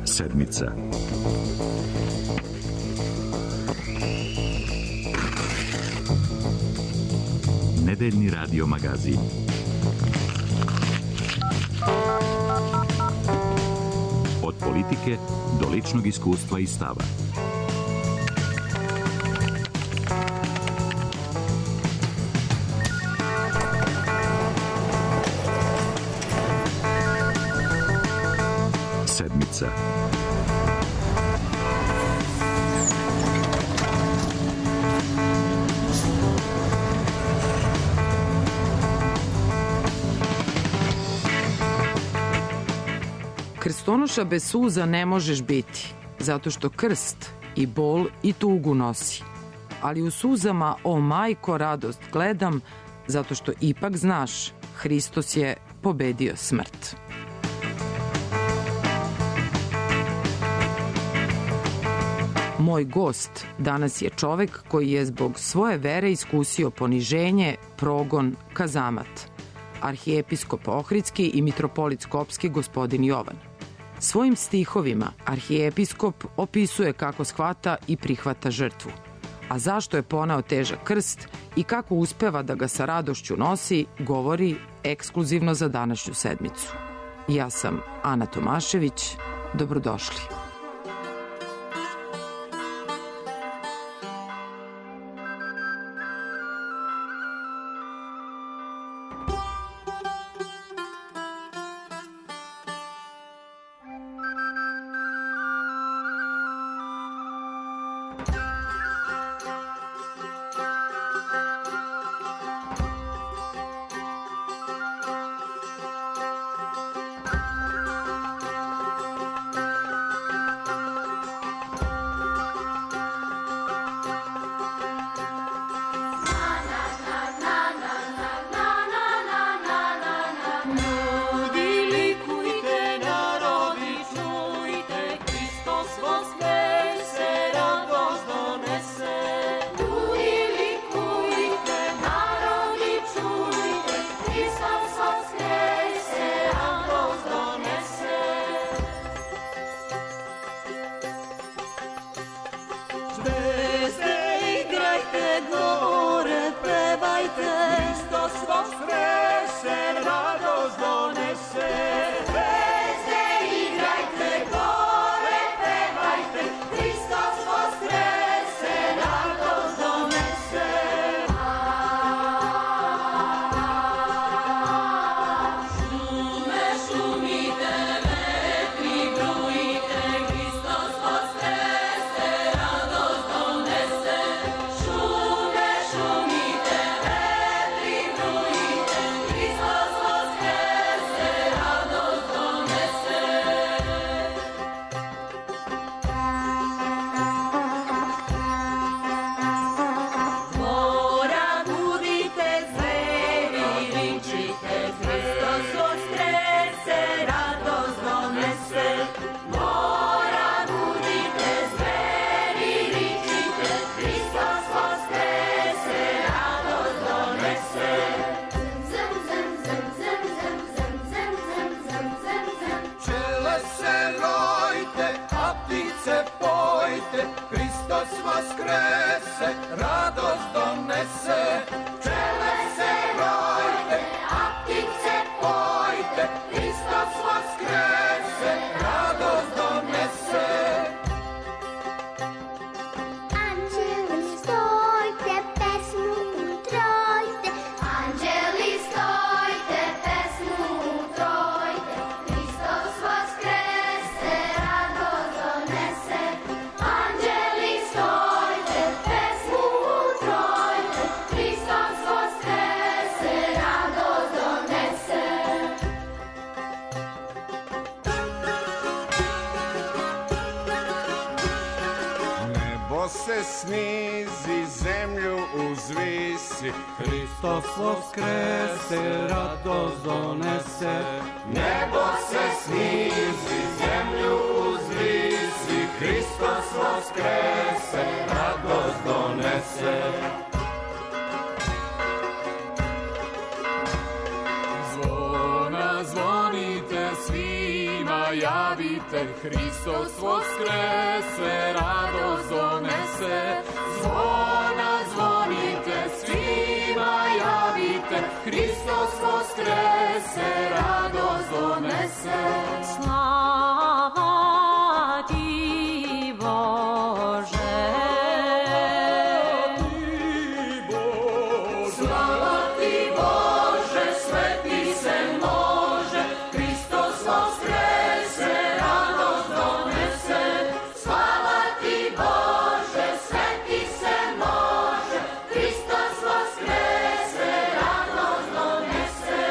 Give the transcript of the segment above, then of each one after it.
Sedmica. Nedeljni radio magazin. Od politike do ličnog iskustva i stava. Sedmica. Krstonoša bez suza ne možeš biti, zato što krst i bol i tugu nosi. Ali u suzama, o majko, radost gledam, zato što ipak znaš, Hristos je pobedio smrt. Moj gost danas je čovek koji je zbog svoje vere iskusio poniženje, progon, kazamat. Arhijepiskop Ohridski i mitropolit Skopski gospodin Jovan. Svojim stihovima arhijepiskop opisuje kako shvata i prihvata žrtvu. A zašto je poneo težak krst i kako uspeva da ga sa radošću nosi, govori ekskluzivno za današnju sedmicu. Ja sam Ana Tomašević. Dobrodošli. Snizi, zemlju uzvisi, Hristos voskrese, radost donese. Nebo se snizi, zemlju uzvisi, Hristos voskrese, radost donese. Zvona zvonite svima javite, Hristos voskrese, radost donese. Zvona zvonite, svima javite, Hristos voskrese, radost donese. Slava ti, Bože. Slava ti, Bože, sveti se može, Hristos voskrese, radost donese. Slava ti, Bože, sveti se može, Hristos voskrese, radost donese.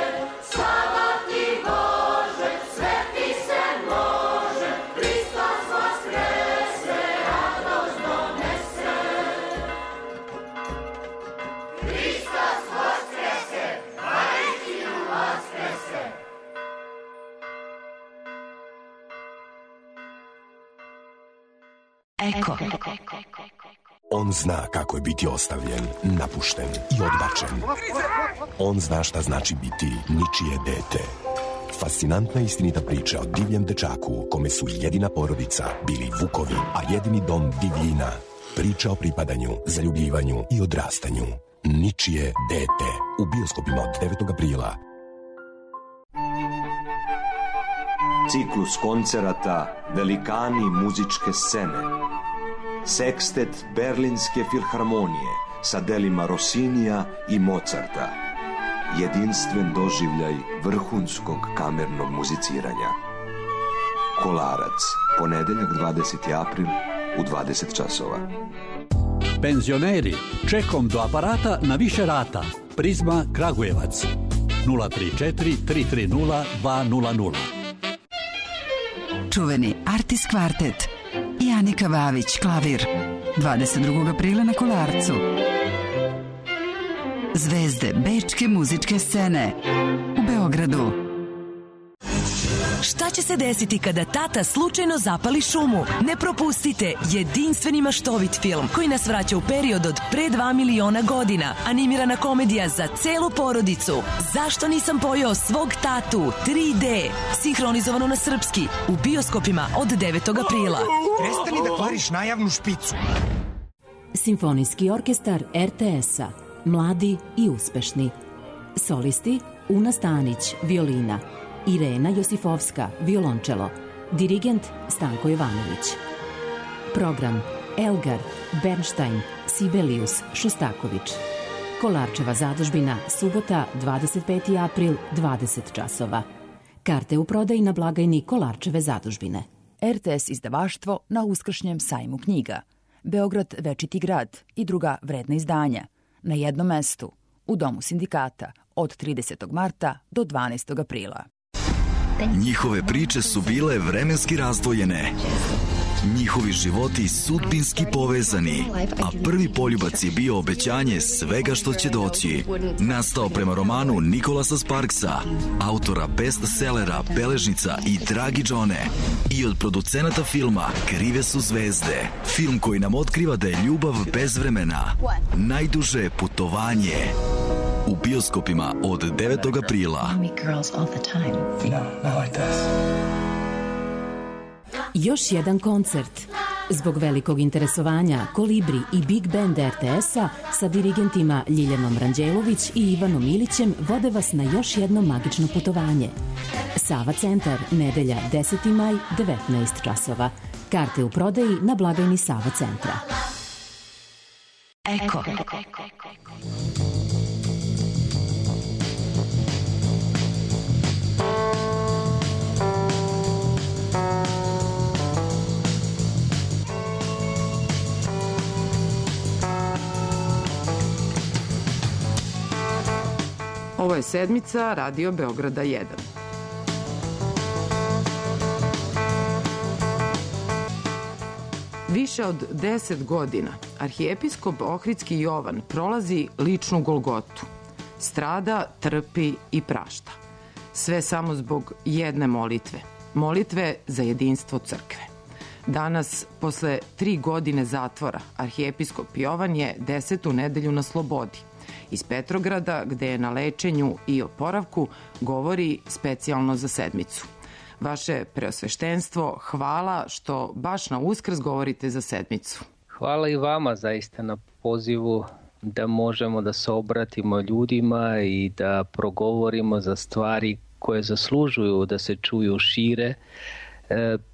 Slava ti, Bože, sveti se može, Hristos voskrese, radost donese. Hristos voskrese, istinu voskrese. Eko. On zna kako je biti ostavljen, napušten i odbačen. On zna šta znači biti ničije dete. Fascinantna istinita priča o divljem dečaku kome su jedina porodica bili vukovi, a jedini dom divljina. Priča o pripadanju, zaljubljivanju i odrastanju. Ničije dete. U bioskopima od 9. aprila. Ciklus koncerata Velikani muzičke scene. Sekstet Berlinske filharmonije sa delima Rossinija i Mozarta. Jedinstven doživljaj vrhunskog kamernog muziciranja. Kolarac, ponedeljak 20. april u 20 časova. Penzioneri, čekom do aparata na više rata. Prizma Kragujevac 034 330 200. Čuveni Artis Kvartet i Anika Vavić, klavir. 22. aprila na Kolarcu. Zvezde bečke muzičke scene u Beogradu. Šta će se desiti kada tata slučajno zapali šumu? Ne propustite jedinstveni maštovit film koji nas vraća u period od pre 2 miliona godina. Animirana komedija za celu porodicu. Zašto nisam pojeo svog tatu? 3D. Sinhronizovano na srpski. U bioskopima od 9. aprila. Prestani da kvariš najavnu špicu. Simfonijski orkestar RTS-a. Mladi i uspešni. Solisti Una Stanić, violina. Irena Josifovska, violončelo. Dirigent Stanko Jovanović. Program Elgar, Bernstein, Sibelius, Šostaković. Kolarčeva zadužbina, subota, 25. april, 20 časova. Karte u prodaji na blagajni Kolarčeve zadužbine. RTS izdavaštvo na uskršnjem sajmu knjiga. Beograd Večiti grad i druga vredna izdanja. Na jednom mestu, u Domu sindikata, od 30. marta do 12. aprila. Njihove priče su bile vremenski razdvojene. Njihovi životi sudbinski povezani, a prvi poljubac je bio obećanje svega što će doći. Nastao prema romanu Nikolasa Sparksa, autora bestsellera Beležnica i Dragi Džone, i od producenata filma Krive su zvezde. Film koji nam otkriva da je ljubav bezvremena. Najduže putovanje. U bioskopima od 9. aprila. Još jedan koncert. Zbog velikog interesovanja Kolibri i Big Band RTS-a sa dirigentima Ljiljanom Ranđelović i Ivanom Ilićem vode vas na još jedno magično putovanje. Sava centar, nedelja 10. maj, 19 časova. Karte u prodaji na blagajni Sava centra. Eko. Ovo je sedmica Radio Beograda 1. Više od 10 godina arhijepiskop Ohridski Jovan prolazi ličnu golgotu. Strada, trpi i prašta. Sve samo zbog jedne molitve. Molitve za jedinstvo crkve. Danas, posle 3 godine zatvora, arhijepiskop Jovan je 10. nedelju na slobodi. Iz Petrograda, gde je na lečenju i oporavku, govori specijalno za sedmicu. Vaše preosveštenstvo, hvala što baš na Uskrs govorite za sedmicu. Hvala i vama zaista na pozivu da možemo da se obratimo ljudima i da progovorimo za stvari koje zaslužuju da se čuju šire,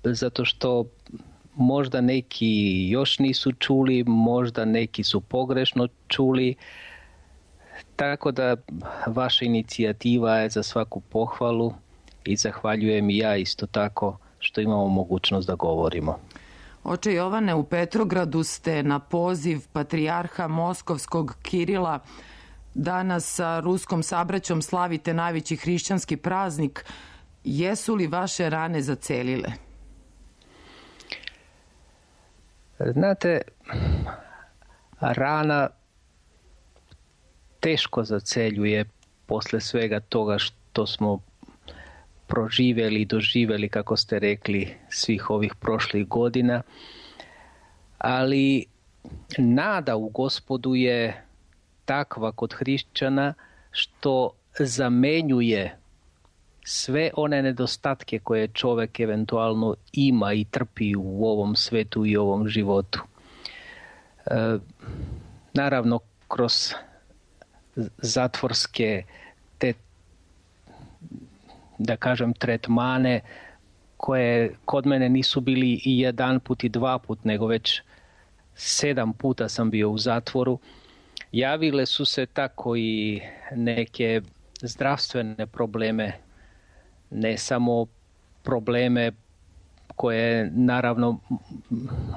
zato što možda neki još nisu čuli, možda neki su pogrešno čuli, tako da vaša inicijativa je za svaku pohvalu i zahvaljujem i ja isto tako što imamo mogućnost da govorimo. Oče Jovane, u Petrogradu ste na poziv patrijarha Moskovskog Kirila danas sa ruskom sabraćom slavite najveći hrišćanski praznik. Jesu li vaše rane zacelile? Znate, rana teško zaceljuje posle svega toga što smo proživjeli i doživjeli, kako ste rekli, svih ovih prošlih godina, ali nada u Gospodu je takva kod hrišćana što zamenjuje sve one nedostatke koje čovjek eventualno ima i trpi u ovom svetu i ovom životu. Naravno, kroz zatvorske te, da kažem, tretmane koje kod mene nisu bili i jedan put i dva put, nego već 7 puta sam bio u zatvoru. Javile su se tako i neke zdravstvene probleme, ne samo probleme koje naravno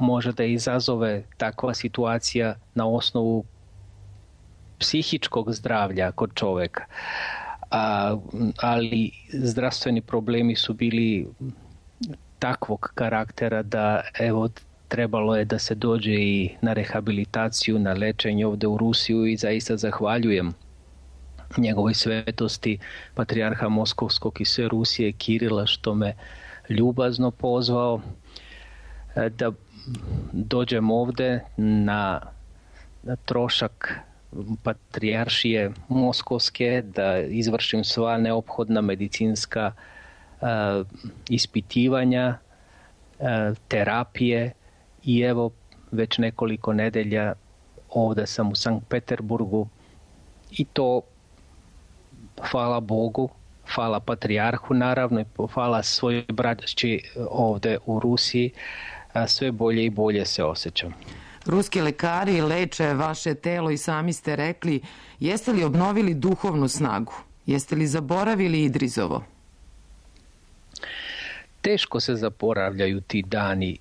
može da izazove takva situacija na osnovu psihičkog zdravlja kod čovjeka. Ali zdravstveni problemi su bili takvog karaktera da evo trebalo je da se dođe i na rehabilitaciju, na lečenje ovdje u Rusiju i zaista zahvaljujem njegovoj svetosti patrijarha Moskovskog i sve Rusije Kirila što me ljubazno pozvao da dođem ovdje na trošak patrijaršije Moskovske, da izvršim sva neophodna medicinska ispitivanja, terapije i evo već nekoliko nedelja ovdje sam u Sankt Peterburgu i to hvala Bogu, hvala patrijarhu naravno i hvala svojoj braći ovdje u Rusiji, sve bolje i bolje se osjećam. Ruski lekari leče vaše telo i sami ste rekli, jeste li obnovili duhovnu snagu? Jeste li zaboravili Idrizovo? Teško se zaboravljaju ti dani.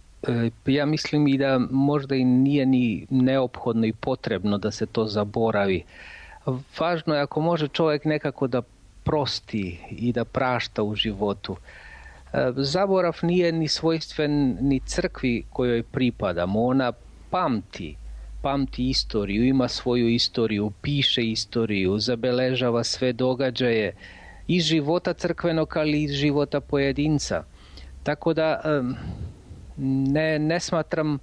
Ja mislim i da možda i nije ni neophodno i potrebno da se to zaboravi. Važno je ako može čovjek nekako da prosti i da prašta u životu. Zaborav nije ni svojstven ni crkvi kojoj pripadamo. Ona pamti istoriju, ima svoju istoriju, piše istoriju, zabeležava sve događaje iz života crkvenog, ali i iz života pojedinca. Tako da ne smatram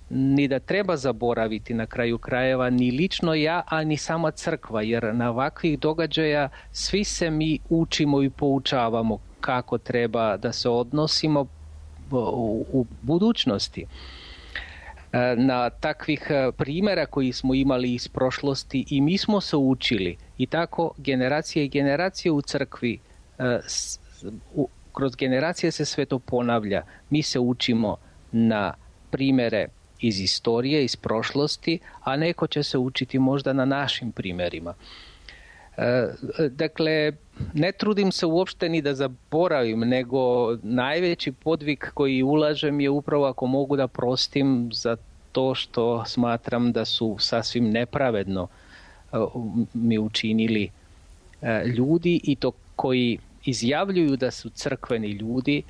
ni da treba zaboraviti na kraju krajeva ni lično ja, a ni sama crkva, jer na ovakvih događaja svi se mi učimo i poučavamo kako treba da se odnosimo u budućnosti. Na takvih primjera koji smo imali iz prošlosti i mi smo se učili i tako generacije i generacije u crkvi, kroz generacije se sve to ponavlja. Mi se učimo na primjere iz istorije, iz prošlosti, a neko će se učiti možda na našim primjerima. Dakle, ne trudim se uopšte ni da zaboravim, nego najveći podvig koji ulažem je upravo ako mogu da prostim za to što smatram da su sasvim nepravedno mi učinili ljudi i to koji izjavljuju da su crkveni ljudi,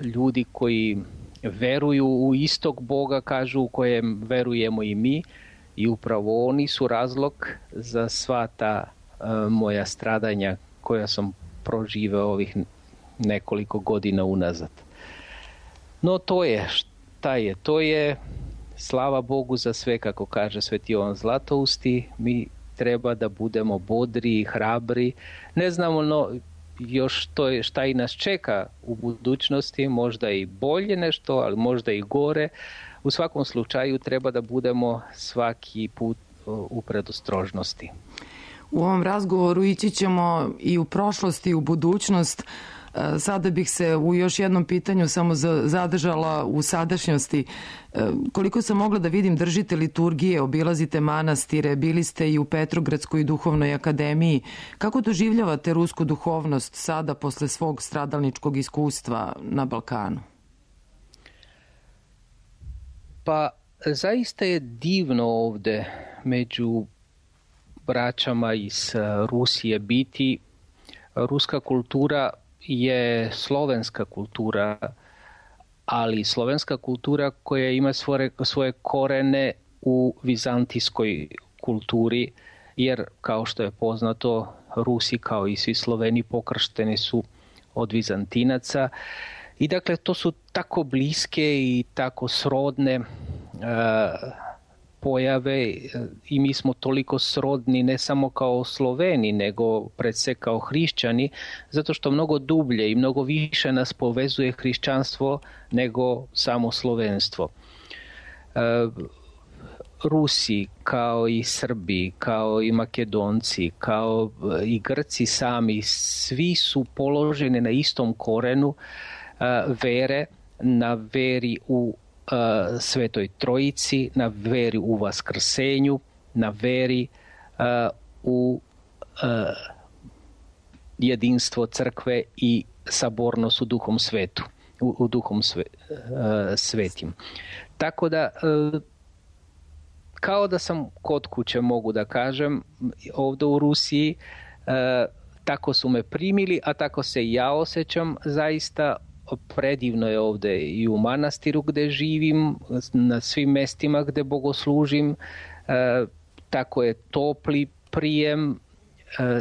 ljudi koji veruju u istog Boga, kažu u kojem verujemo i mi, i upravo oni su razlog za sva ta moja stradanja koja sam proživeo ovih nekoliko godina unazad. No to je šta je, to je slava Bogu za sve, kako kaže Sveti Jovan Zlatousti. Mi treba da budemo bodri i hrabri. Ne znamo još šta i nas čeka u budućnosti, možda i bolje nešto, ali možda i gore. U svakom slučaju treba da budemo svaki put u predostrožnosti. U ovom razgovoru ići ćemo i u prošlost i u budućnost. Sada bih se u još jednom pitanju samo zadržala u sadašnjosti. Koliko sam mogla da vidim, držite liturgije, obilazite manastire, bili ste i u Petrogradskoj duhovnoj akademiji. Kako doživljavate rusku duhovnost sada posle svog stradalničkog iskustva na Balkanu? Pa zaista je divno ovde među braćama iz Rusije biti. Ruska kultura je slovenska kultura, ali slovenska kultura koja ima svoje korene u vizantijskoj kulturi, jer kao što je poznato, Rusi kao i svi Sloveni pokršteni su od Vizantinaca i dakle to su tako bliske i tako srodne pojave i mi smo toliko srodni ne samo kao Sloveni, nego pred sve kao hrišćani, zato što mnogo dublje i mnogo više nas povezuje hrišćanstvo nego samo slovenstvo. Rusi, kao i Srbi, kao i Makedonci, kao i Grci sami, svi su položeni na istom korenu vere, na veri u Svetoj Trojici, na veri u Vaskrsenju, na veri u jedinstvo crkve i sabornost u Duhom Svetu, u Duhom Svetim. Tako da, kao da sam kod kuće, mogu da kažem, ovde u Rusiji, tako su me primili, a tako se i ja osjećam. Zaista predivno je ovde i u manastiru gde živim, na svim mestima gde bogoslužim, tako je topli prijem,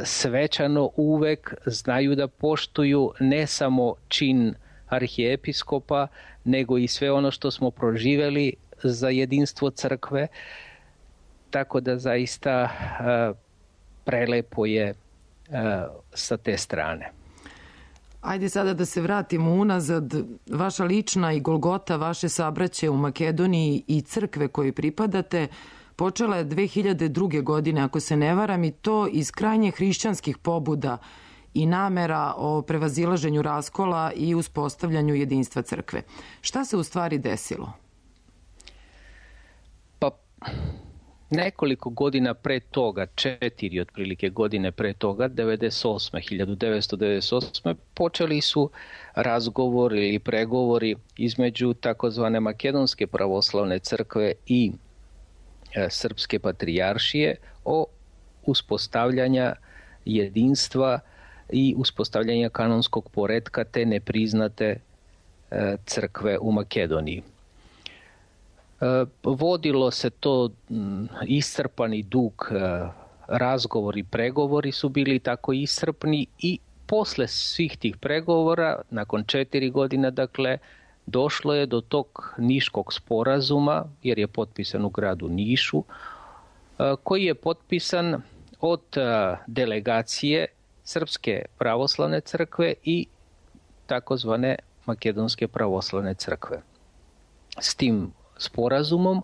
svečano uvek, znaju da poštuju ne samo čin arhijepiskopa, nego i sve ono što smo proživeli za jedinstvo crkve, tako da zaista prelepo je sa te strane. Ajde sada da se vratimo unazad. Vaša lična i golgota vaše sabraće u Makedoniji i crkve kojoj pripadate počela je 2002. godine, ako se ne varam, i to iz krajnje hrišćanskih pobuda i namera o prevazilaženju raskola i uspostavljanju jedinstva crkve. Šta se u stvari desilo? Pa nekoliko godina pre toga, 4 otprilike godine pre toga, 1998. počeli su razgovori ili pregovori između takozvane Makedonske pravoslavne crkve i Srpske patrijaršije o uspostavljanja jedinstva i uspostavljanja kanonskog poretka te nepriznate crkve u Makedoniji. Vodilo se to iscrpani dug, razgovori, pregovori su bili tako iscrpni i posle svih tih pregovora, nakon 4 godina, dakle, došlo je do tog Niškog sporazuma, jer je potpisan u gradu Nišu, koji je potpisan od delegacije Srpske pravoslavne crkve i takozvane Makedonske pravoslavne crkve. S tim sporazumom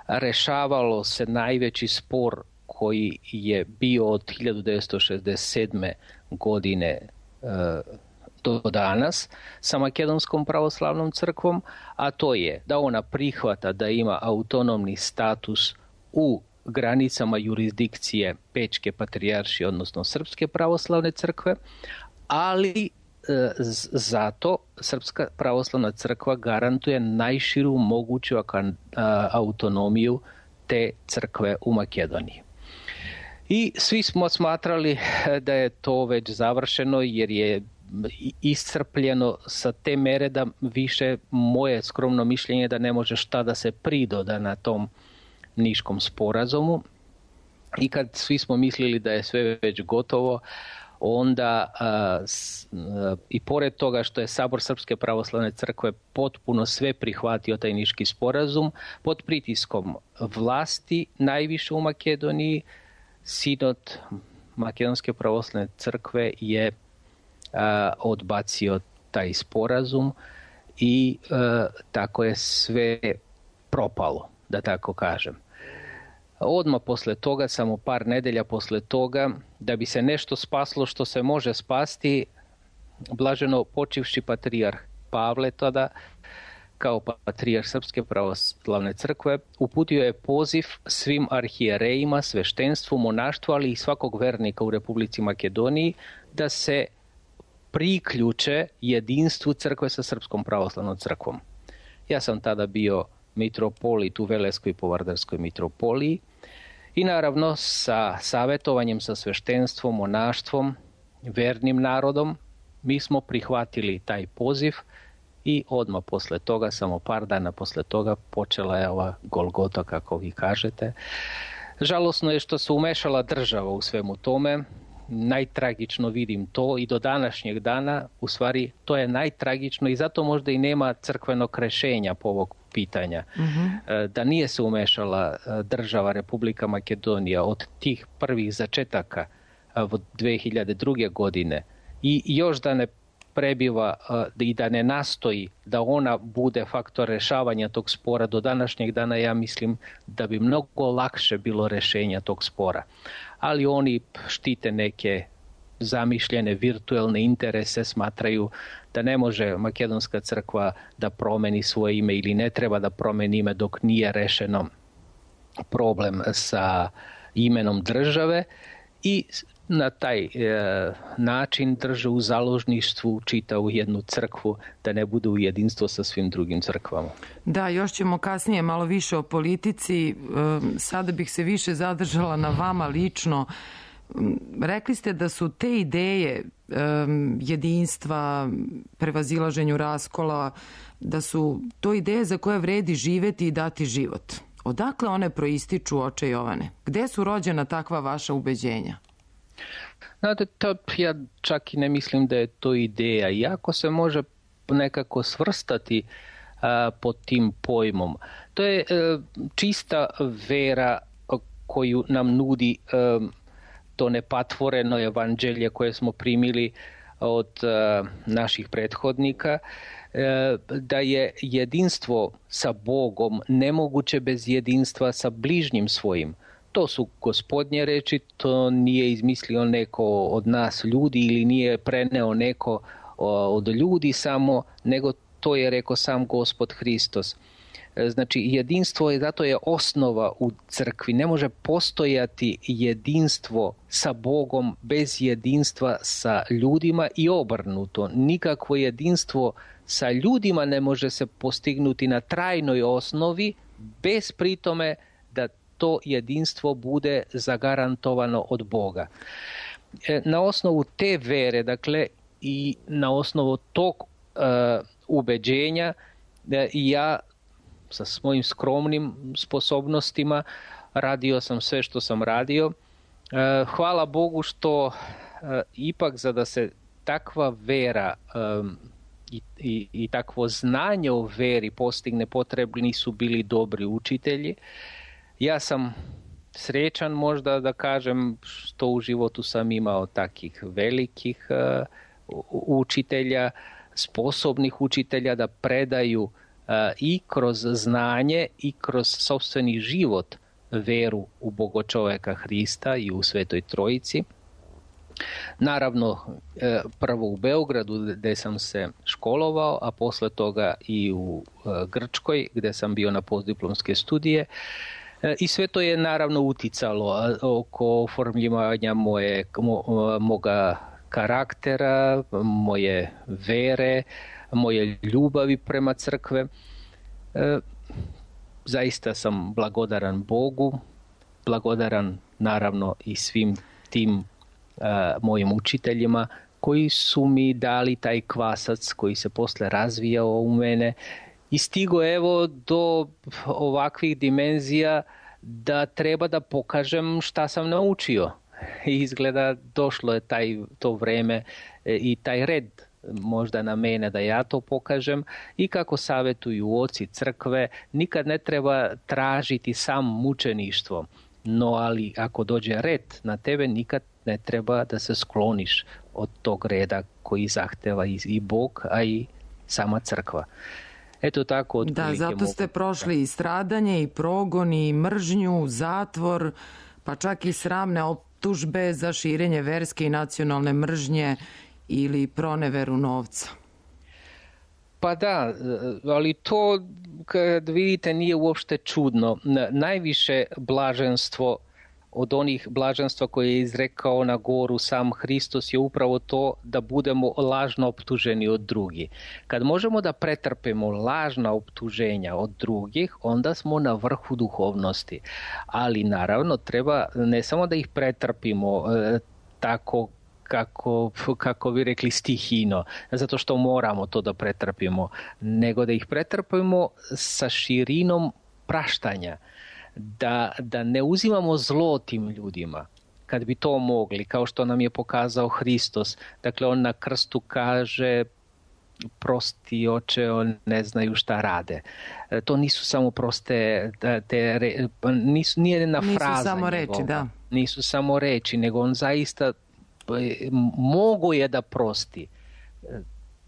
rešavalo se najveći spor koji je bio od 1967. godine do danas sa Makedonskom pravoslavnom crkvom, a to je da ona prihvata da ima autonomni status u granicama jurisdikcije Pečke patrijaršije, odnosno Srpske pravoslavne crkve, ali zato Srpska pravoslavna crkva garantuje najširu moguću autonomiju te crkve u Makedoniji. I svi smo smatrali da je to već završeno, jer je iscrpljeno sa te mere da više, moje skromno mišljenje, da ne može šta da se pridoda na tom Niškom sporazumu. I kad svi smo mislili da je sve već gotovo, onda i pored toga što je Sabor Srpske pravoslavne crkve potpuno sve prihvatio taj Niški sporazum, pod pritiskom vlasti najviše u Makedoniji, Sinod Makedonske pravoslavne crkve je odbacio taj sporazum i tako je sve propalo, da tako kažem. Odmah posle toga, samo par nedelja posle toga, da bi se nešto spaslo što se može spasti, blaženo počivši patrijarh Pavle tada, kao patrijarh Srpske pravoslavne crkve, uputio je poziv svim arhijerejima, sveštenstvu, monaštvu, ali i svakog vernika u Republici Makedoniji da se priključe jedinstvu crkve sa Srpskom pravoslavnom crkvom. Ja sam tada bio mitropolit u Veleskoj Povardarskoj mitropoliji i naravno sa savjetovanjem sa sveštenstvom, monaštvom, vernim narodom, mi smo prihvatili taj poziv i odmah posle toga, samo par dana posle toga, počela je ova Golgota, kako vi kažete. Žalosno je što se umešala država u svemu tome. Najtragično vidim to i do današnjeg dana, u stvari to je najtragično i zato možda i nema crkvenog rešenja po ovog pitanja. Da nije se umešala država Republika Makedonija od tih prvih začetaka od 2002. godine i još da ne prebiva i da ne nastoji da ona bude faktor rešavanja tog spora do današnjeg dana, ja mislim da bi mnogo lakše bilo rešenja tog spora. Ali oni štite neke zamišljene virtuelne interese, smatraju da ne može Makedonska crkva da promeni svoje ime ili ne treba da promeni ime dok nije rešeno problem sa imenom države i na taj način drže u založništvu čitavu jednu crkvu da ne bude u jedinstvo sa svim drugim crkvama. Da, još ćemo kasnije malo više o politici. Sada bih se više zadržala na vama lično. Rekli ste da su te ideje jedinstva, prevazilaženju raskola, da su to ideje za koje vredi živeti i dati život. Odakle one proističu, oče Jovane? Gde su rođena takva vaša ubeđenja? Znate, ja čak i ne mislim da je to ideja. Iako se može nekako svrstati pod tim pojmom. To je čista vera koju nam nudi to nepatvoreno evanđelje koje smo primili od naših prethodnika, da je jedinstvo sa Bogom nemoguće bez jedinstva sa bližnjim svojim. To su Gospodnje reči, to nije izmislio neko od nas ljudi ili nije preneo neko od ljudi samo, nego to je rekao sam Gospod Hristos. Znači jedinstvo je, zato je osnova u crkvi. Ne može postojati jedinstvo sa Bogom bez jedinstva sa ljudima i obrnuto. Nikakvo jedinstvo sa ljudima ne može se postignuti na trajnoj osnovi bez pritome da to jedinstvo bude zagarantovano od Boga. Na osnovu te vere, dakle, i na osnovu tog ubeđenja, ja sa svojim skromnim sposobnostima radio sam sve što sam radio. Hvala Bogu što ipak za da se takva vera i takvo znanje o veri postigne, potrebni su bili dobri učitelji. Ja sam srećan možda da kažem što u životu sam imao takih velikih učitelja, sposobnih učitelja da predaju i kroz znanje i kroz sopstveni život veru u Bogočoveka Hrista i u Svetoj Trojici. Naravno, prvo u Beogradu gde sam se školovao, a posle toga i u Grčkoj gde sam bio na postdiplomske studije. I sve to je naravno uticalo oko oformljivanja moga karaktera, moje vere, moje ljubavi prema crkve. Zaista sam blagodaran Bogu, blagodaran naravno i svim tim mojim učiteljima koji su mi dali taj kvasac koji se posle razvijao u mene i stigo evo do ovakvih dimenzija da treba da pokažem šta sam naučio. I izgleda došlo je to vreme i taj red možda na mene da ja to pokažem i kako savjetuju oci crkve, nikad ne treba tražiti sam mučeništvo, no ali ako dođe red na tebe nikad ne treba da se skloniš od tog reda koji zahteva i Bog, a i sama crkva. Eto tako. Da, zato ste prošli i stradanje, i progon, i mržnju, zatvor, pa čak i sramne optužbe za širenje verske i nacionalne mržnje ili proneveru novca. Pa da, ali to, kad vidite, nije uopšte čudno. Najviše blaženstvo od onih blaženstva koje je izrekao na goru sam Hristos je upravo to da budemo lažno optuženi od drugih. Kad možemo da pretrpimo lažna optuženja od drugih, onda smo na vrhu duhovnosti. Ali naravno treba ne samo da ih pretrpimo tako kako bi rekli stihino, zato što moramo to da pretrpimo, nego da ih pretrpimo sa širinom praštanja. Da ne uzimamo zlo tim ljudima, kad bi to mogli, kao što nam je pokazao Hristos. Dakle, on na krstu kaže: prosti oče, on ne znaju šta rade. To nisu samo proste, nije jedna fraza. Nisu samo reči, da. Nisu samo reči, nego on zaista mogo je da prosti.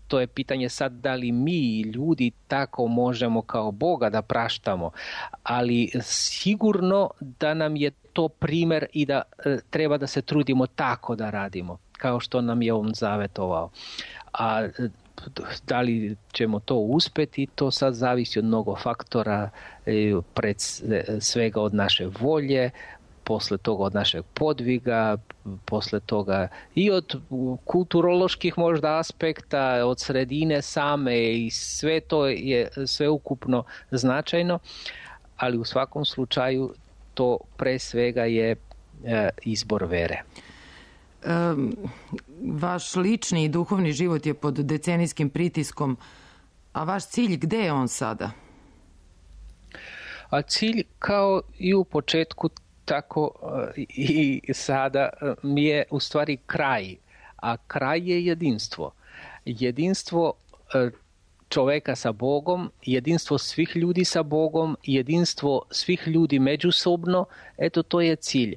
To je pitanje sad da li mi ljudi tako možemo kao Boga da praštamo, ali sigurno da nam je to primer i da treba da se trudimo tako da radimo, kao što nam je on zavetovao. A da li ćemo to uspeti, to sad zavisi od mnogo faktora, pred svega od naše volje, posle toga od našeg podviga, posle toga i od kulturoloških možda aspekta, od sredine same, i sve to je sveukupno značajno, ali u svakom slučaju to pre svega je izbor vere. Vaš lični i duhovni život je pod decenijskim pritiskom, a vaš cilj, gde je on sada? A cilj, kao i u početku, tako i sada, mi je u stvari kraj, a kraj je jedinstvo. Jedinstvo čoveka sa Bogom, jedinstvo svih ljudi sa Bogom, jedinstvo svih ljudi međusobno, eto to je cilj.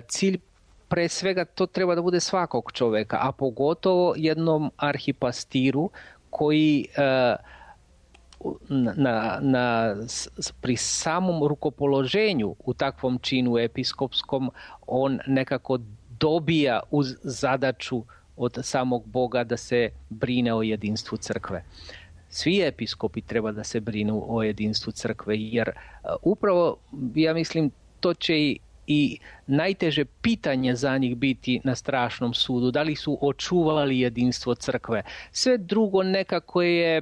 Cilj pre svega to treba da bude svakog čoveka, a pogotovo jednom arhipastiru koji pri samom rukopoloženju u takvom činu episkopskom on nekako dobija uz zadaću od samog Boga da se brine o jedinstvu crkve. Svi episkopi treba da se brinu o jedinstvu crkve, jer upravo, ja mislim, to će i najteže pitanje za njih biti na strašnom sudu, da li su očuvali jedinstvo crkve. Sve drugo nekako je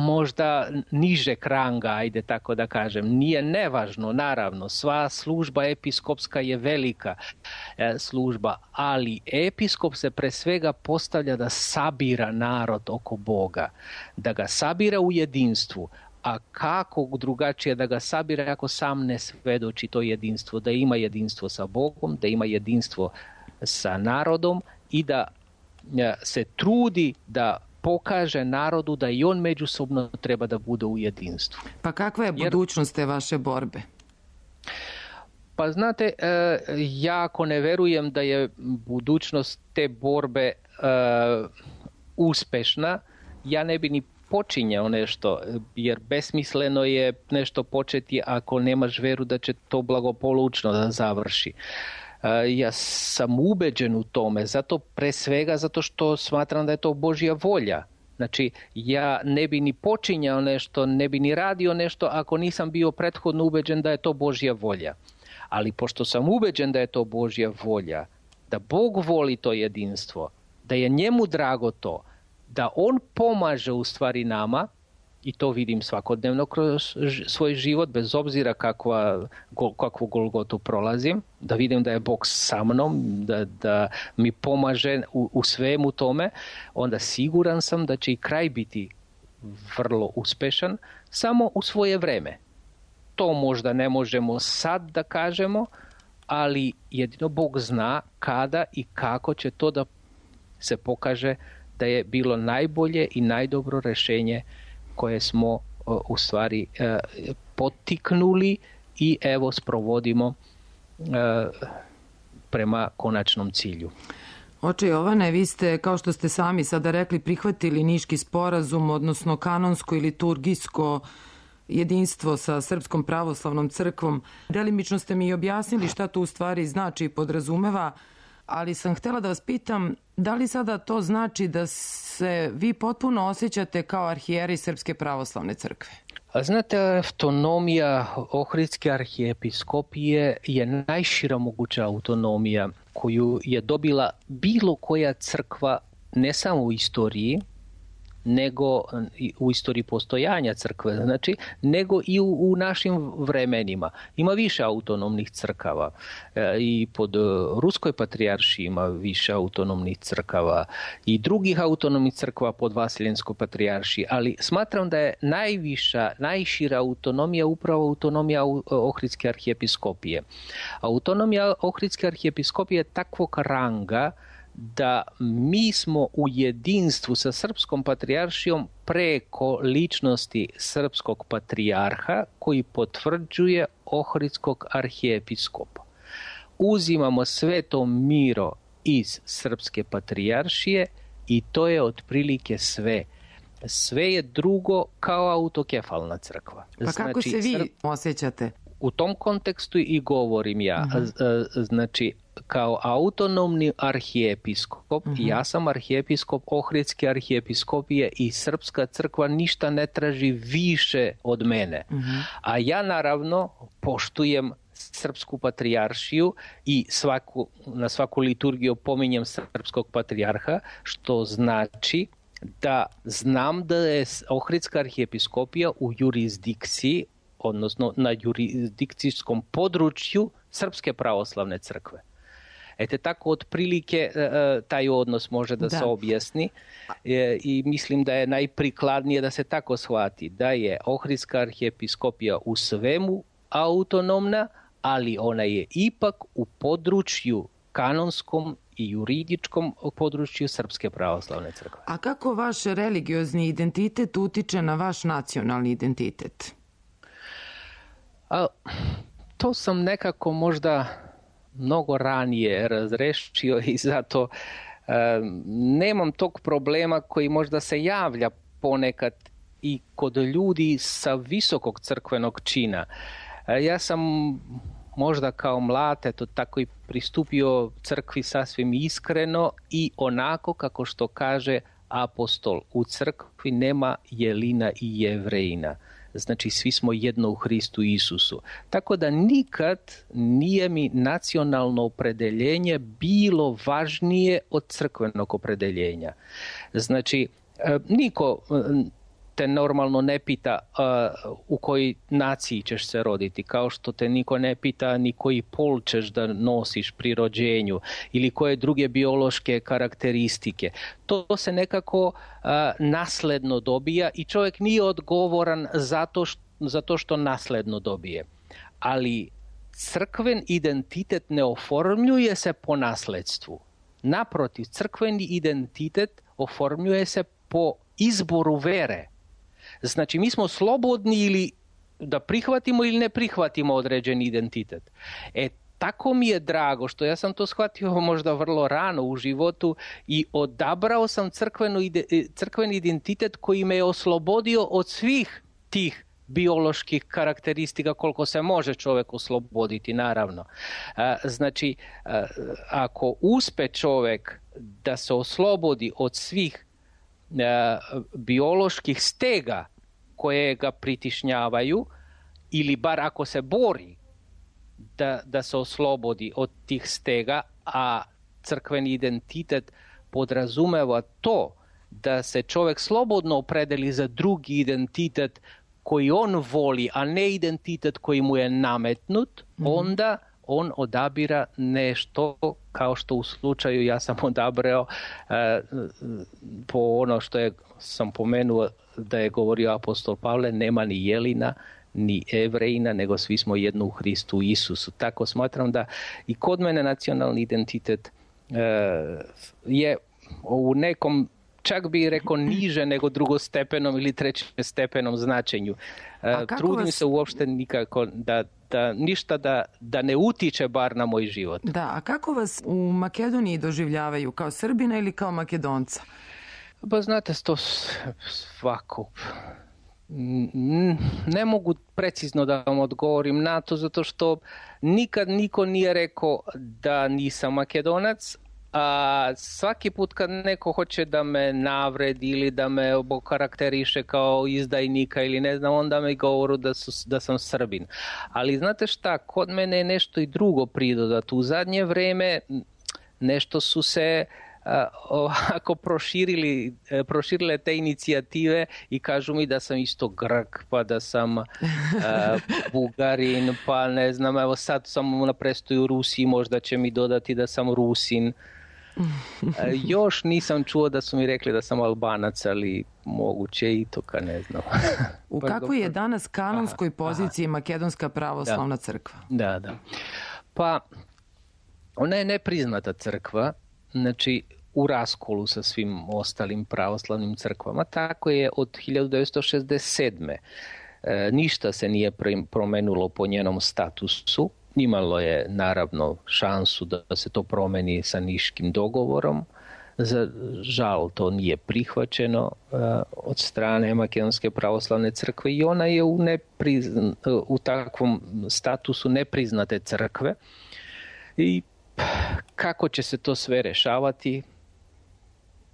možda niže ranga, ajde tako da kažem. Nije nevažno, naravno, sva služba episkopska je velika služba, ali episkop se pre svega postavlja da sabira narod oko Boga, da ga sabira u jedinstvu. A kako drugačije da ga sabira ako sam ne svedoči to jedinstvo, da ima jedinstvo sa Bogom, da ima jedinstvo sa narodom i da se trudi da pokaže narodu da i on međusobno treba da bude u jedinstvu. Pa kakva je budućnost te vaše borbe? Pa znate, ja ako ne verujem da je budućnost te borbe uspešna, ja ne bi ni počinjao nešto, jer besmisleno je nešto početi ako nemaš veru da će to blagopolučno da završi. Ja sam ubeđen u tome, pre svega zato što smatram da je to Božja volja. Znači, ja ne bi ni počinjao nešto, ne bi ni radio nešto ako nisam bio prethodno ubeđen da je to Božja volja. Ali pošto sam ubeđen da je to Božja volja, da Bog voli to jedinstvo, da je njemu drago to, da on pomaže u stvari nama, i to vidim svakodnevno kroz svoj život, bez obzira kakvu golgotu prolazim, da vidim da je Bog sa mnom, da mi pomaže u svemu tome, onda siguran sam da će i kraj biti vrlo uspešan, samo u svoje vreme. To možda ne možemo sad da kažemo, ali jedino Bog zna kada i kako će to da se pokaže da je bilo najbolje i najdobro rešenje koje smo u stvari potiknuli i evo sprovodimo prema konačnom cilju. Oče Jovane, vi ste, kao što ste sami sada rekli, prihvatili Niški sporazum, odnosno kanonsko i liturgijsko jedinstvo sa Srpskom pravoslavnom crkvom. Delimično ste mi objasnili šta to u stvari znači i podrazumeva, ali sam htjela da vas pitam, da li sada to znači da se vi potpuno osjećate kao arhijerej Srpske pravoslavne crkve? A znate, autonomija Ohridske arhijepiskopije je najšira moguća autonomija koju je dobila bilo koja crkva, ne samo u istoriji, nego u istoriji postojanja crkve, znači, nego i u našim vremenima. Ima više autonomnih crkava i pod Ruskoj patrijaršiji ima više autonomnih crkava i drugih autonomnih crkva pod Vasiljenskoj patrijaršiji, ali smatram da je najšira autonomija upravo autonomija Ohridske arhijepiskopije. Autonomija Ohridske arhijepiskopije je takvog ranga da mi smo u jedinstvu sa Srpskom patrijaršijom preko ličnosti Srpskog patrijarha koji potvrđuje Ohridskog arhijepiskopa. Uzimamo sveto miro iz Srpske patrijaršije i to je otprilike sve. Sve je drugo kao autokefalna crkva. Pa kako se vi osjećate? U tom kontekstu i govorim ja. Znači, kao autonomni arhijepiskop, ja sam arhijepiskop Ohridske arhijepiskopije i Srpska crkva ništa ne traži više od mene. A ja naravno poštujem Srpsku patrijaršiju i na svaku liturgiju pominjem Srpskog patrijarha, što znači da znam da je Ohridska arhijepiskopija u jurisdikciji, odnosno na jurisdikcijskom području Srpske pravoslavne crkve. Tako otprilike taj odnos može da se objasni i mislim da je najprikladnije da se tako shvati, da je Ohridska arhijepiskopija u svemu autonomna, ali ona je ipak u području kanonskom i juridičkom području Srpske pravoslavne crkve. A kako vaš religiozni identitet utiče na vaš nacionalni identitet? To sam nekako možda mnogo ranije razrešio i zato nemam tog problema koji možda se javlja ponekad i kod ljudi sa visokog crkvenog čina. Ja sam možda kao mlad tako i pristupio crkvi sasvim iskreno i onako kako što kaže apostol, u crkvi nema Jelina i Jevrejina. Znači, svi smo jedno u Hristu Isusu. Tako da nikad nije mi nacionalno opredeljenje bilo važnije od crkvenog opredeljenja. Znači, niko te normalno ne pita u kojoj naciji ćeš se roditi, kao što te niko ne pita ni koji pol ćeš da nosiš pri rođenju ili koje druge biološke karakteristike. To se nekako nasledno dobija i čovjek nije odgovoran zato što nasledno dobije. Ali crkven identitet ne oformljuje se po nasledstvu. Naprotiv, crkveni identitet oformljuje se po izboru vere. Znači, mi smo slobodni ili da prihvatimo ili ne prihvatimo određeni identitet. Tako mi je drago što ja sam to shvatio možda vrlo rano u životu i odabrao sam crkveni identitet koji me je oslobodio od svih tih bioloških karakteristika koliko se može čovjek osloboditi, naravno. Znači, ako uspe čovjek da se oslobodi od svih bioloških stega koje ga pritišnjavaju ili bar ako se bori da se oslobodi od tih stega, a crkveni identitet podrazumeva to da se čovjek slobodno opredeli za drugi identitet koji on voli, a ne identitet koji mu je nametnut, onda on odabira nešto kao što u slučaju ja sam odabrao po ono što sam pomenuo da je govorio apostol Pavle, nema ni Jelina ni Jevrejina, nego svi smo jedno u Hristu Isusu. Tako smatram da i kod mene nacionalni identitet je u nekom, čak bi rekao niže nego drugostepenom ili trećestepenom značenju. Trudim se uopšte nikako ništa da ne utiče bar na moj život. Da, a kako vas u Makedoniji doživljavaju? Kao Srbina ili kao Makedonca? Pa znate, to svako... Ne mogu precizno da vam odgovorim na to, zato što nikad niko nije rekao da nisam Makedonac, a svaki put kad neko hoće da me navredi ili da me okarakteriše kao izdajnika ili ne znam, onda me govoru da sam Srbin. Ali znate šta, kod mene je nešto i drugo pridodato. U zadnje vreme nešto su se ovako proširile te inicijative i kažu mi da sam isto Grk, pa da sam Bugarin, pa ne znam, evo sad sam na prestoju u Rusiji, možda će mi dodati da sam Rusin. Još nisam čuo da su mi rekli da sam Albanac, ali moguće i to, ka ne znam. U kakvoj je danas kanonskoj poziciji Makedonska pravoslavna crkva? Da. Pa ona je nepriznata crkva, znači u raskolu sa svim ostalim pravoslavnim crkvama. Tako je od 1967. Ništa se nije promenilo po njenom statusu. Imalo je naravno šansu da se to promeni sa Niškim dogovorom. Za žal to nije prihvaćeno od strane Makedonske pravoslavne crkve i ona je u takvom statusu nepriznate crkve. I kako će se to sve rešavati,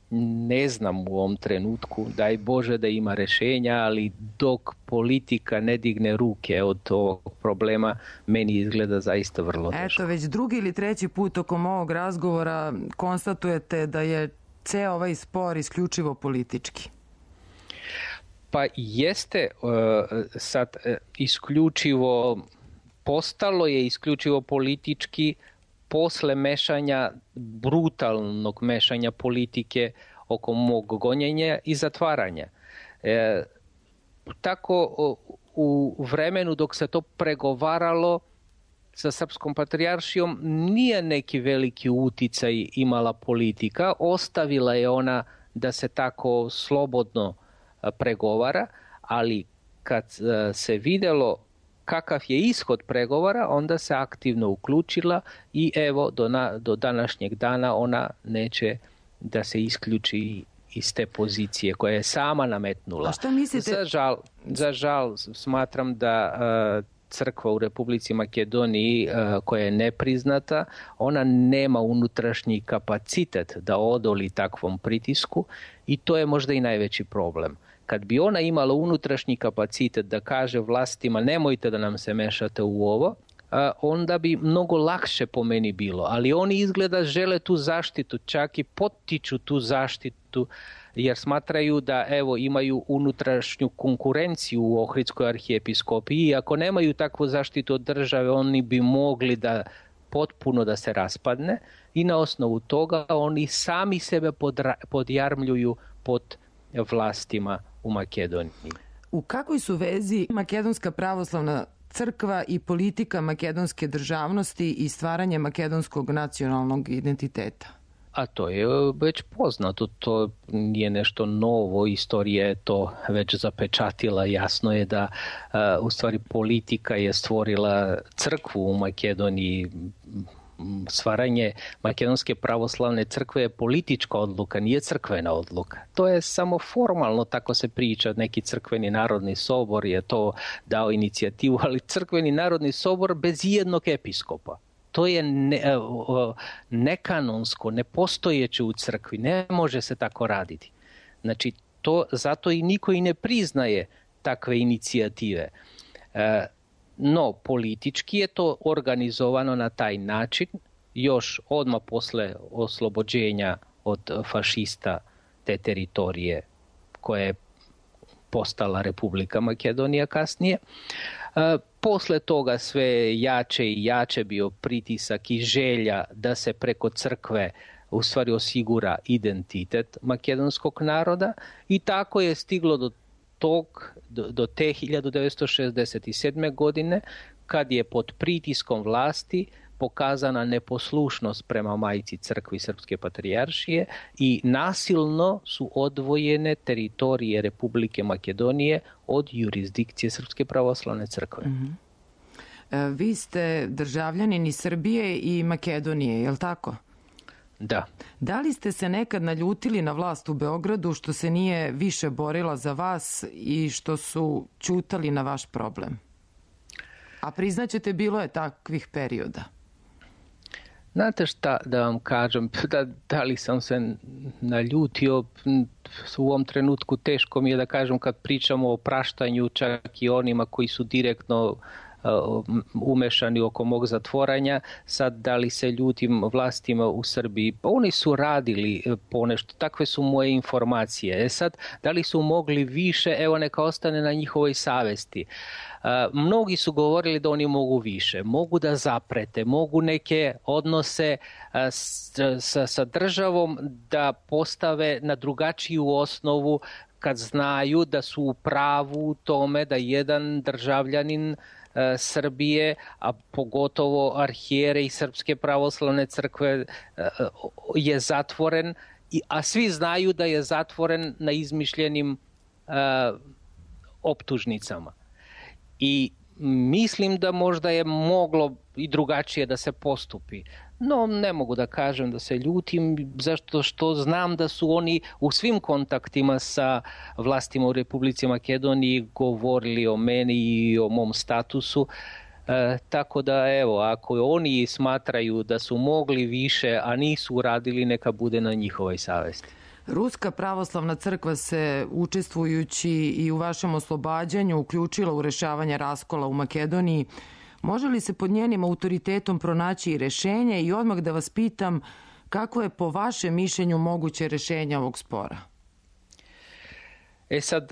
ne znam u ovom trenutku. Daj Bože da ima rešenja, ali dok politika ne digne ruke od ovog problema, meni izgleda zaista vrlo teško. Eto, već drugi ili treći put tokom ovog razgovora konstatujete da je ceo ovaj spor isključivo politički. Pa jeste sad postalo je isključivo politički posle brutalnog mešanja politike oko mog gonjenja i zatvaranja. Tako u vremenu dok se to pregovaralo sa Srpskom patrijaršijom nije neki veliki uticaj imala politika, ostavila je ona da se tako slobodno pregovara, ali kad se videlo kakav je ishod pregovora, onda se aktivno uključila i evo do današnjeg dana ona neće da se isključi iz te pozicije koje je sama nametnula. A šta mislite? Za žal smatram da crkva u Republici Makedoniji koja je nepriznata, ona nema unutrašnji kapacitet da odoli takvom pritisku i to je možda i najveći problem. Kad bi ona imala unutrašnji kapacitet da kaže vlastima nemojte da nam se mešate u ovo, onda bi mnogo lakše po meni bilo. Ali oni izgleda žele tu zaštitu, čak i potiču tu zaštitu jer smatraju da evo imaju unutrašnju konkurenciju u Ohridskoj arhijepiskopiji i ako nemaju takvu zaštitu od države, oni bi mogli da potpuno da se raspadne i na osnovu toga oni sami sebe podjarmljuju pod vlastima u Makedoniji. U kakvoj su vezi Makedonska pravoslavna crkva i politika makedonske državnosti i stvaranje makedonskog nacionalnog identiteta? A to je već poznato, to nije nešto novo, istorija je to već zapečatila. Jasno je da u stvari politika je stvorila crkvu u Makedoniji. Stvaranje Makedonske pravoslavne crkve je politička odluka, nije crkvena odluka. To je samo formalno, tako se priča, neki crkveni narodni sobor je to dao inicijativu, ali crkveni narodni sobor bez jednog episkopa. To je nekanonsko, nepostojeće u crkvi, ne može se tako raditi. Znači, zato i niko i ne priznaje takve inicijative. No, politički je to organizovano na taj način, još odmah posle oslobođenja od fašista te teritorije koja je postala Republika Makedonija kasnije. Posle toga sve jače i jače bio pritisak i želja da se preko crkve u stvari osigura identitet makedonskog naroda i tako je stiglo do te 1967. godine kad je pod pritiskom vlasti pokazana neposlušnost prema majci crkvi Srpske patrijaršije i nasilno su odvojene teritorije Republike Makedonije od jurisdikcije Srpske pravoslavne crkve. Vi ste državljanin iz Srbije i Makedonije, je li tako? Da. Da li ste se nekad naljutili na vlast u Beogradu što se nije više borila za vas i što su ćutali na vaš problem? A priznaćete, bilo je takvih perioda. Znate šta da vam kažem, da li sam se naljutio, u ovom trenutku teško mi je da kažem kad pričamo o praštanju, čak i onima koji su direktno umešani oko mog zatvoranja. Sad da li se ljutim vlastima u Srbiji, pa oni su radili ponešto, takve su moje informacije. Sad da li su mogli više, evo neka ostane na njihovoj savesti. Mnogi su govorili da oni mogu više, mogu da zaprete, mogu neke odnose sa državom da postave na drugačiju osnovu kad znaju da su u pravu u tome da jedan državljanin Srbije, a pogotovo arhijere i Srpske pravoslavne crkve je zatvoren, a svi znaju da je zatvoren na izmišljenim optužnicama. I mislim da možda je moglo i drugačije da se postupi. No, ne mogu da kažem da se ljutim, zašto što znam da su oni u svim kontaktima sa vlastima u Republici Makedoniji govorili o meni i o mom statusu. Tako da, evo, ako oni smatraju da su mogli više, a nisu uradili, neka bude na njihovoj savesti. Ruska pravoslavna crkva se, učestvujući i u vašem oslobađanju, uključila u rešavanje raskola u Makedoniji. Može li se pod njenim autoritetom pronaći i rešenje? I odmah da vas pitam, kako je po vašem mišljenju moguće rešenje ovog spora? Sad,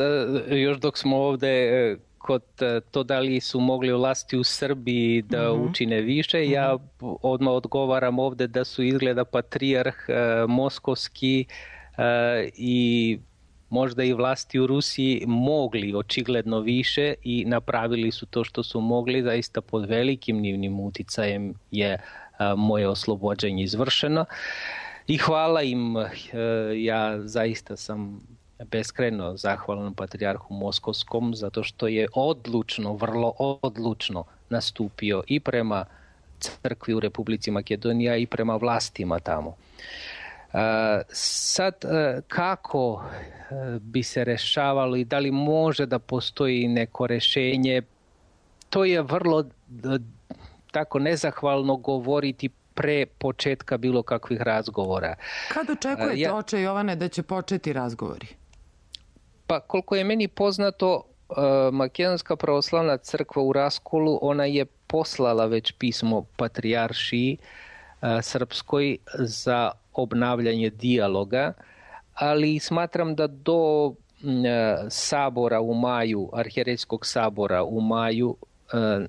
još dok smo ovde kod to da li su mogli vlasti u Srbiji da učine više, ja odmah odgovaram ovde da su izgleda patrijarh moskovski i možda i vlasti u Rusiji mogli očigledno više i napravili su to što su mogli, zaista pod velikim njivnim uticajem je moje oslobođenje izvršeno i hvala im, ja zaista sam beskrajno zahvalan patrijarhu Moskovskom zato što je odlučno, vrlo odlučno nastupio i prema crkvi u Republici Makedonija i prema vlastima tamo. Sad, kako bi se rešavalo i da li može da postoji neko rešenje, to je vrlo tako nezahvalno govoriti pre početka bilo kakvih razgovora. Kad očekujete, oče Jovane, da će početi razgovori? Pa koliko je meni poznato, Makedonska pravoslavna crkva u raskolu, ona je poslala već pismo patrijaršiji srpskoj za obnavljanje dijaloga, ali smatram da do sabora u maju, arhijerejskog sabora u maju,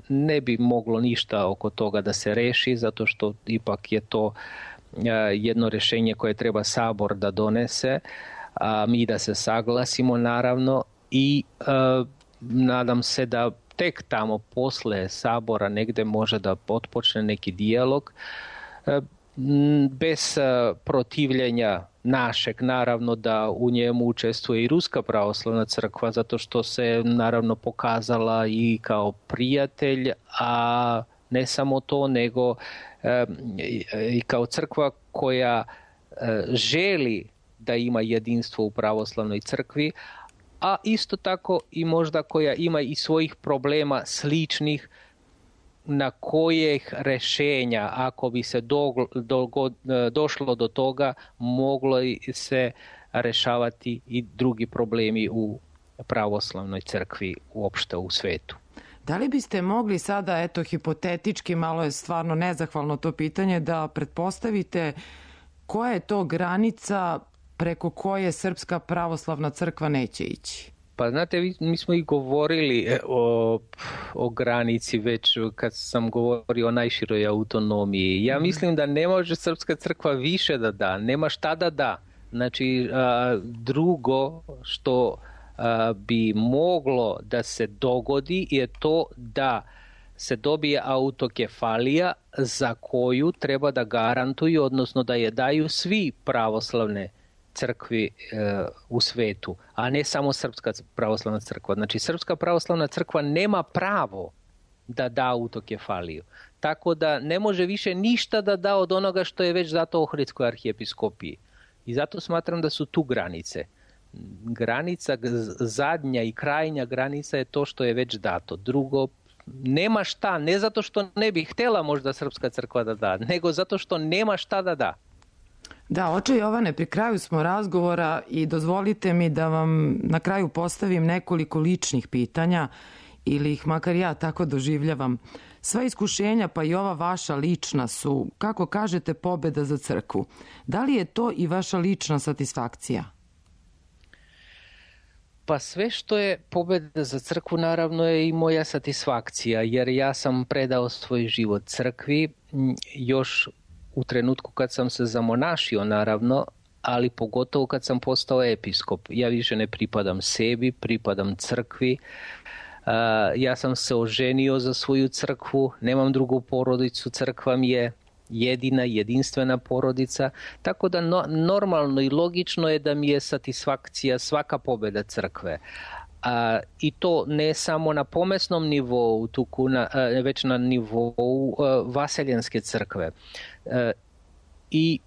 ne bi moglo ništa oko toga da se reši, zato što ipak je to jedno rešenje koje treba sabor da donese, a mi da se saglasimo naravno i nadam se da tek tamo posle sabora negde može da otpočne neki dijalog bez protivljenja našeg, naravno da u njemu učestvuje i Ruska pravoslavna crkva, zato što se naravno pokazala i kao prijatelj, a ne samo to, nego i kao crkva koja želi da ima jedinstvo u pravoslavnoj crkvi, a isto tako i možda koja ima i svojih problema sličnih na kojih rešenja, ako bi se došlo do toga, moglo se rešavati i drugi problemi u pravoslavnoj crkvi uopšte u svetu. Da li biste mogli sada, eto, hipotetički, malo je stvarno nezahvalno to pitanje, da pretpostavite koja je to granica preko koje Srpska pravoslavna crkva neće ići? Pa znate, mi smo i govorili o granici već kad sam govorio o najširoj autonomiji. Ja mislim da ne može Srpska crkva više da da, nema šta da da. Znači, drugo što bi moglo da se dogodi je to da se dobije autokefalija za koju treba da garantuju, odnosno da je daju svi pravoslavne crkvi u svetu, a ne samo Srpska pravoslavna crkva. Znači, Srpska pravoslavna crkva nema pravo da da autokefaliju. Tako da ne može više ništa da da od onoga što je već dato Ohridskoj arhijepiskopiji. I zato smatram da su tu granice. Granica, zadnja i krajnja granica je to što je već dato. Drugo, nema šta, ne zato što ne bi htjela možda Srpska crkva da da, nego zato što nema šta da da. Da, oče Jovane, pri kraju smo razgovora i dozvolite mi da vam na kraju postavim nekoliko ličnih pitanja ili ih makar ja tako doživljavam. Sva iskušenja, pa i ova vaša lična su, kako kažete, pobeda za crkvu. Da li je to i vaša lična satisfakcija? Pa sve što je pobeda za crkvu naravno je i moja satisfakcija, jer ja sam predao svoj život crkvi još u trenutku kad sam se zamonašio naravno, ali pogotovo kad sam postao episkop. Ja više ne pripadam sebi, pripadam crkvi. Ja sam se oženio za svoju crkvu, nemam drugu porodicu, crkva mi je jedina, jedinstvena porodica, tako da normalno i logično je da mi je satisfakcija svaka pobjeda crkve. I to ne samo na pomesnom nivou, već na nivou vaseljenske crkve. I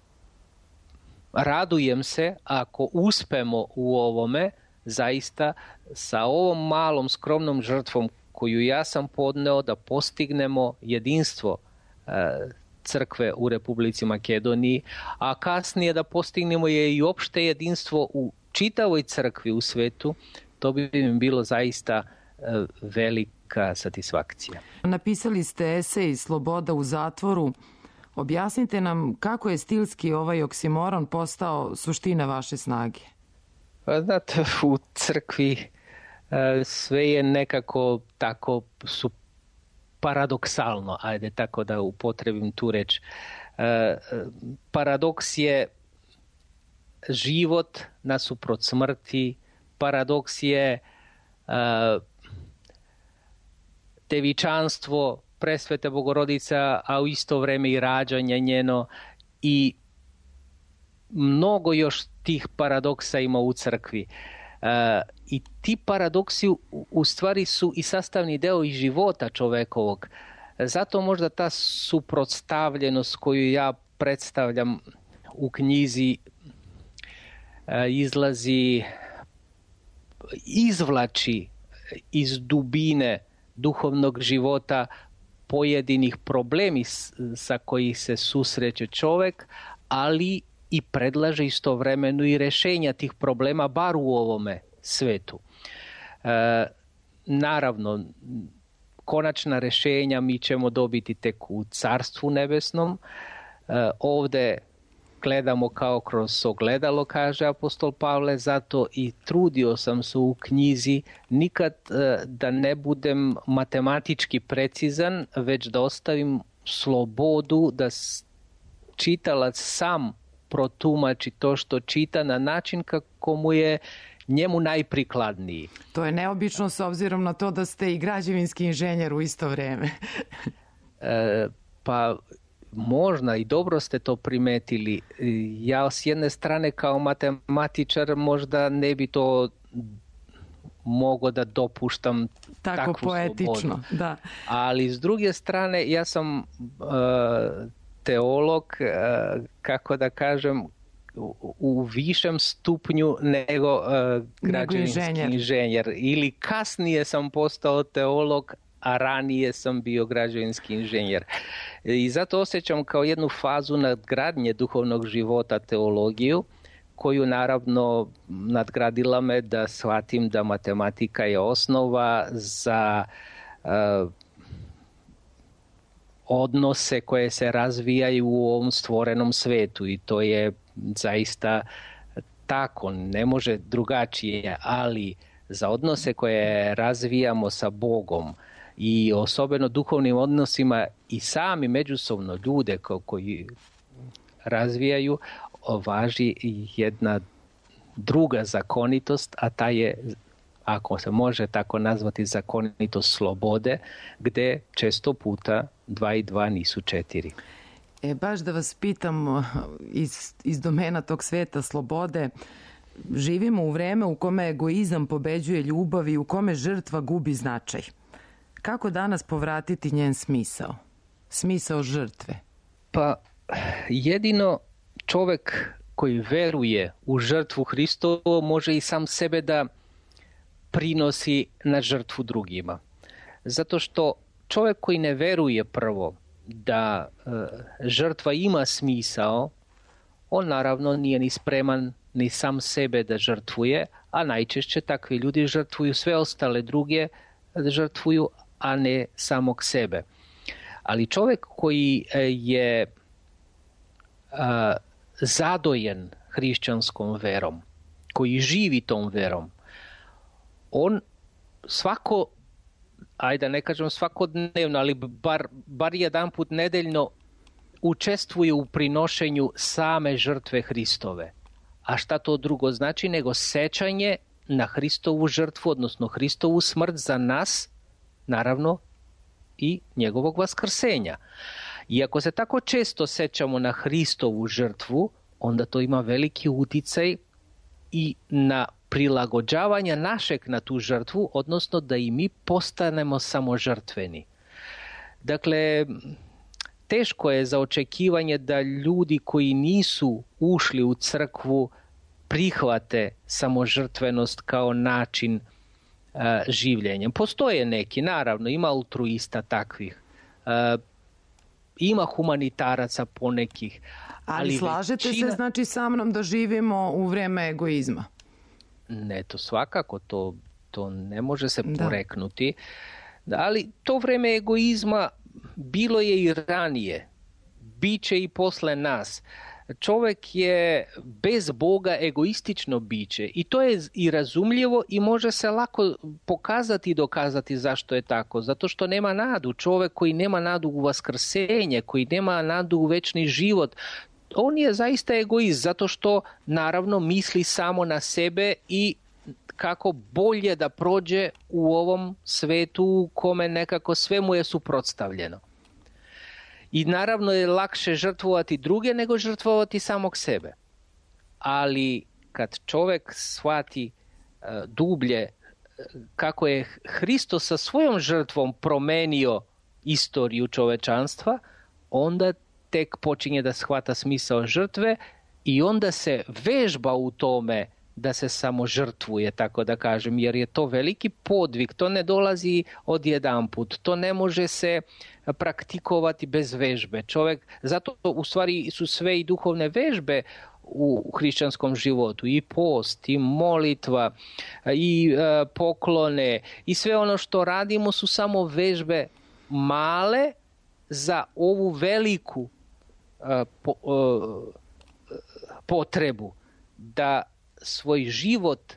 radujem se ako uspemo u ovome, zaista sa ovom malom skromnom žrtvom koju ja sam podneo, da postignemo jedinstvo crkve u Republici Makedoniji, a kasnije da postignemo je i opšte jedinstvo u čitavoj crkvi u svetu. To bi mi bilo zaista velika satisfakcija. Napisali ste esej Sloboda u zatvoru. Objasnite nam kako je stilski ovaj oksimoron postao suština vaše snage. Znate, u crkvi sve je nekako tako paradoksalno, ajde tako da upotrebim tu reč. Paradoks je život nasuprot smrti, paradoks je devičanstvo presvete Bogorodica, a u isto vreme i rađanje njeno, i mnogo još tih paradoksa ima u crkvi. I ti paradoksi u stvari su i sastavni deo i života čovekovog. Zato možda ta suprotstavljenost koju ja predstavljam u knjizi izvlači iz dubine duhovnog života pojedinih problemi sa koji se susreće čovek, ali i predlaže istovremeno i rešenja tih problema, bar u ovome svetu. Naravno, konačna rešenja mi ćemo dobiti tek u Carstvu nebesnom. Ovde gledamo kao kroz ogledalo, kaže apostol Pavle, zato i trudio sam se u knjizi nikad da ne budem matematički precizan, već da ostavim slobodu da čitalac sam protumači to što čita na način kako mu je njemu najprikladniji. To je neobično s obzirom na to da ste i građevinski inženjer u isto vreme. Pa možda i dobro ste to primetili. Ja s jedne strane kao matematičar možda ne bi to mogao da dopuštam takvu poetično, slobodu. Da. Ali s druge strane ja sam teolog, kako da kažem, u višem stupnju nego građevinski inženjer. Ili kasnije sam postao teolog, a ranije sam bio građevinski inženjer. I zato osjećam kao jednu fazu nadgradnje duhovnog života teologiju, koju naravno nadgradila me da shvatim da matematika je osnova za odnose koje se razvijaju u ovom stvorenom svetu, i to je zaista tako, ne može drugačije, ali za odnose koje razvijamo sa Bogom i osobeno duhovnim odnosima i sami međusobno ljude koji razvijaju, važi jedna druga zakonitost, a ta je, ako se može tako nazvati, zakonitost slobode, gde često puta 2 i 2 nisu 4. Baš da vas pitam iz domena tog sveta slobode, živimo u vreme u kome egoizam pobeđuje ljubav i u kome žrtva gubi značaj. Kako danas povratiti njen smisao? Smisao žrtve? Pa jedino čovek koji veruje u žrtvu Hristovu može i sam sebe da prinosi na žrtvu drugima. Zato što čovek koji ne veruje prvo da žrtva ima smisao, on naravno nije ni spreman ni sam sebe da žrtvuje, a najčešće takvi ljudi žrtvuju sve ostale druge, žrtvuju, a ne samog sebe. Ali čovek koji je zadojen hrišćanskom verom, koji živi tom verom, on svako, ajde da ne kažem svakodnevno, ali bar jedan put nedeljno učestvuje u prinošenju same žrtve Hristove. A šta to drugo znači nego sećanje na Hristovu žrtvu, odnosno Hristovu smrt za nas, naravno i njegovog vaskrsenja. I ako se tako često sećamo na Hristovu žrtvu, onda to ima veliki uticaj i na prilagođavanje našeg na tu žrtvu, odnosno da i mi postanemo samožrtveni. Dakle, teško je za očekivanje da ljudi koji nisu ušli u crkvu prihvate samožrtvenost kao način življenja. Postoje neki, naravno, ima altruista takvih, ima humanitaraca ponekih. Ali slažete se znači sa mnom da živimo u vreme egoizma? Ne, to svakako, to ne može se poreknuti. Ali to vreme egoizma bilo je i ranije, bit će i posle nas. Čovek je bez Boga egoistično biće i to je i razumljivo i može se lako pokazati i dokazati zašto je tako. Zato što nema nadu. Čovek koji nema nadu u vaskrsenje, koji nema nadu u večni život, on je zaista egoist zato što naravno misli samo na sebe i kako bolje da prođe u ovom svetu u kome nekako sve mu je suprotstavljeno. I naravno je lakše žrtvovati druge nego žrtvovati samog sebe. Ali kad čovjek shvati dublje kako je Hristos sa svojom žrtvom promenio istoriju čovečanstva, onda tek počinje da shvata smisao žrtve i onda se vežba u tome da se samo žrtvuje, tako da kažem, jer je to veliki podvig, to ne dolazi odjedanput, to ne može se praktikovati bez vežbe. Čovjek, zato u stvari su sve i duhovne vežbe u hrišćanskom životu, i post, i molitva, i poklone, i sve ono što radimo su samo vežbe male za ovu veliku potrebu da svoj život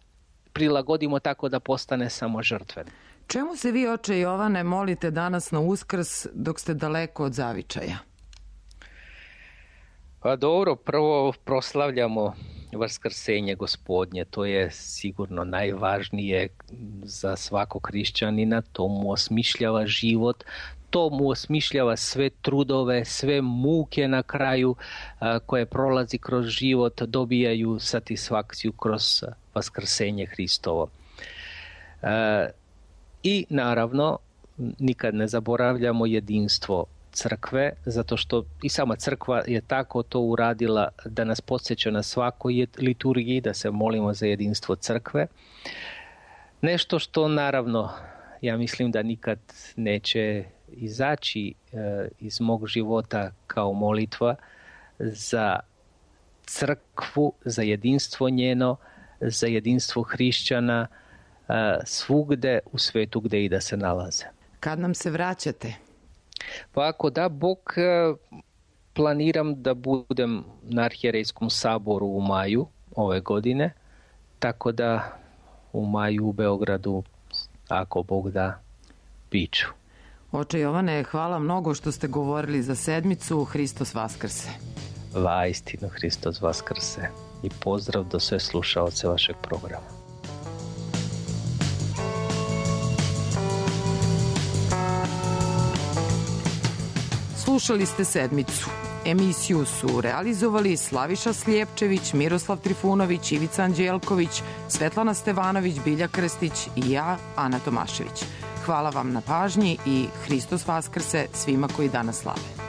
prilagodimo tako da postane samo žrtven. Čemu se vi, oče Jovane, molite danas na Uskrs dok ste daleko od zavičaja? Pa dobro, prvo proslavljamo vaskrsenje Gospodnje, to je sigurno najvažnije za svakog hrišćanina, to mu osmišljava život, to mu osmišljava sve trudove, sve muke na kraju koje prolazi kroz život, dobijaju satisfakciju kroz vaskrsenje Hristovo. I naravno, nikad ne zaboravljamo jedinstvo crkve, zato što i sama crkva je tako to uradila da nas podsjeća na svakoj liturgiji, da se molimo za jedinstvo crkve. Nešto što naravno, ja mislim da nikad neće izaći iz mog života kao molitva za crkvu, za jedinstvo njeno, za jedinstvo hrišćana svugde u svetu gde i da se nalaze. Kad nam se vraćate? Pa ako da Bog, planiram da budem na Arhijerejskom saboru u maju ove godine, tako da u maju u Beogradu, ako Bog da, biću. Oče Jovane, hvala mnogo što ste govorili za sedmicu. Hristos Vaskrse. Vaistinu Hristos Vaskrse. I pozdrav do sve slušaoce vašeg programa. Slušali ste sedmicu. Emisiju su realizovali Slaviša Slijepčević, Miroslav Trifunović, Ivica Anđelković, Svetlana Stevanović, Bilja Krstić i ja, Ana Tomašević. Hvala vam na pažnji i Hristos Vaskrse svima koji danas slave.